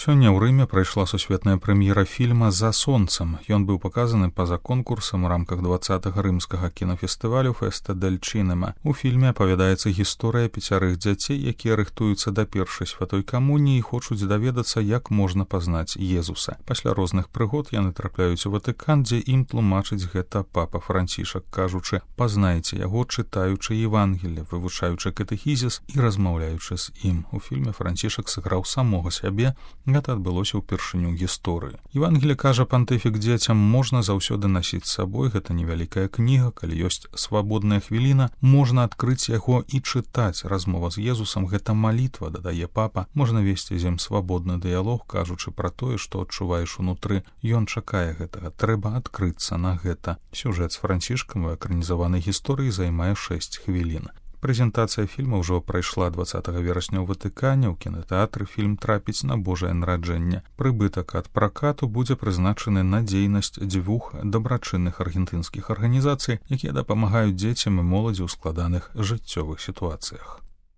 Сёння ў Рыме прайшла сусветная прэм'ера фільма «За сонцам». Ён быў паказаны па-за конкурсам у рамках 20-го рымскага кінафестывалю «Феста дель Чинема». У фільме апавядаецца гісторыя 5 дзяцей, якія рыхтуюцца да першай святой камуніі і хочуць даведацца, як можна пазнаць Езуса. Пасля розных прыгод яны трапляюць у Ватыкан, дзе ім тлумачыць гэта папа Францішак, кажучы: «Пазнайце яго, чытаючы Евангелле, вывучаючы катэхізіс і размаўляючы з ім». У фільме Францішак сыграў самога сябе. Гэта адбылося ўпершыню ў гісторыі. Евангелле, кажа пантыфік дзецям, можна заўсёды насіць з сабой. Гэта невялікая кніга, калі ёсць свабодная хвіліна, можна адкрыць яго і чытаць. Размова з Езусам — гэта малітва, дадае папа. Можна весці з ім свабодны дыялог, кажучы пра тое, што адчуваеш унутры. Ён чакае гэтага, трэба адкрыцца на гэта. Сюжэт з Францішкам у экранізаванай гісторыі займае 6 хвілін. Прэзентацыя фільма ўжо прайшла 20 верасня ў Ватыкане. У кінатэатры фільм трапіць на Божае нараджэнне. Прыбытак ад пракату будзе прызначаны на дзейнасць 2 дабрачынных аргентынскіх арганізацый, якія дапамагаюць дзецям і моладзі ў складаных жыццёвых сітуацыях.